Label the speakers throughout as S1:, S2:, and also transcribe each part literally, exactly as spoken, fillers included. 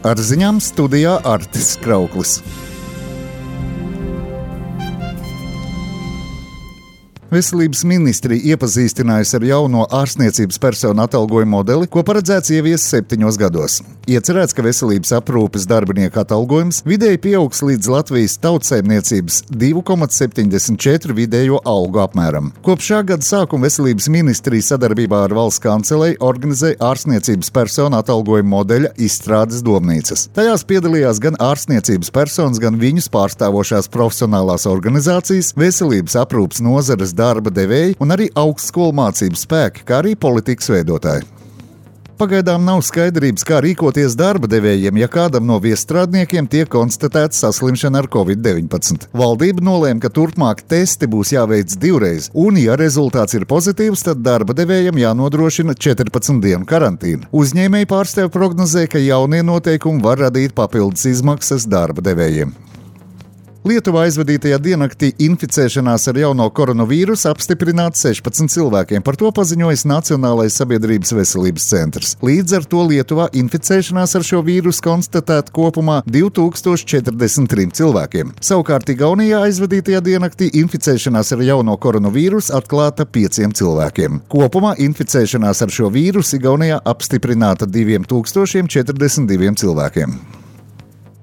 S1: Ar ziņām studijā Artis Krauklis. Veselības ministrija iepazīstinājusi ar jauno ārstniecības personu atalgojumu modeli, ko paredzēts ieviest septiņos gados. Iecerēts, ka veselības aprūpes darbinieku atalgojums vidēji pieaugs līdz Latvijas tautsaimniecības divi komats septiņdesmit četri vidējo algu apmēram. Kopš šā gada sākuma veselības ministrija sadarbībā ar valsts kanceleju organizē ārstniecības personu atalgojumu modeļa izstrādes domnīcas. Tajās piedalījās gan ārstniecības personas, gan viņus pārstāvošās profesionālās organizācijas, veselības aprūpes nozares darba devēji un arī augstskolu mācību spēki, kā arī politikas veidotāji. Pagaidām nav skaidrības, kā rīkoties darba devējiem, ja kādam no viesstrādniekiem tiek konstatēta saslimšana ar covid deviņpadsmit. Valdība nolēma, ka turpmāk testi būs jāveic divreiz, un, ja rezultāts ir pozitīvs, tad darba devējiem jānodrošina četrpadsmit dienu karantīna. Uzņēmēji pārstāvji prognozē, ka jaunie noteikumi var radīt papildus izmaksas darba devējiem. Lietuvā aizvadītajā diennaktī inficēšanās ar jauno koronavīrusu apstiprināta sešpadsmit cilvēkiem. Par to paziņojis Nacionālais sabiedrības veselības centrs. Līdz ar to Lietuvā inficēšanās ar šo vīrusu konstatēta kopumā divi tūkstoši četrdesmit trīs cilvēkiem. Savukārt Igaunijā aizvadītajā diennaktī inficēšanās ar jauno koronavīrusu atklāta pieciem cilvēkiem. Kopumā inficēšanās ar šo vīrusu Igaunijā apstiprināta divi tūkstoši četrdesmit divi cilvēkiem.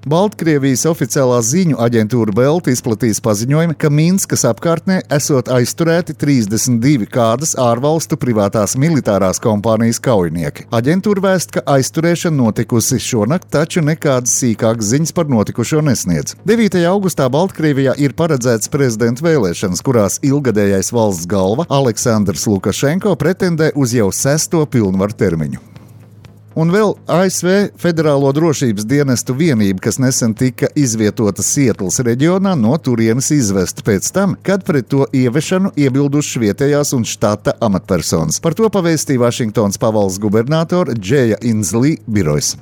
S1: Baltkrievijas oficiālā ziņu aģentūra Belt izplatīs paziņojumu, ka Minskas apkārtnē esot aizturēti trīsdesmit divi kādas ārvalstu privātās militārās kompānijas kaujinieki. Aģentūra vēst, ka aizturēšana notikusi šonakt, taču nekādas sīkākas ziņas par notikušo nesniedz. devītajā augustā Baltkrievijā ir paredzētas prezidenta vēlēšanas, kurās ilgadējais valsts galva Aleksandrs Lukašenko pretendē uz jau sesto pilnvaru termiņu. Un vēl A S V Federālo drošības dienestu vienība, kas nesen tika izvietota Sietlas reģionā, no turienes izvesta pēc tam, kad pret to ievešanu iebildušas vietējās un štata amatpersonas. Par to pavēstīja Vašingtonas pavalsts gubernatora Džeja Inzlī birojs.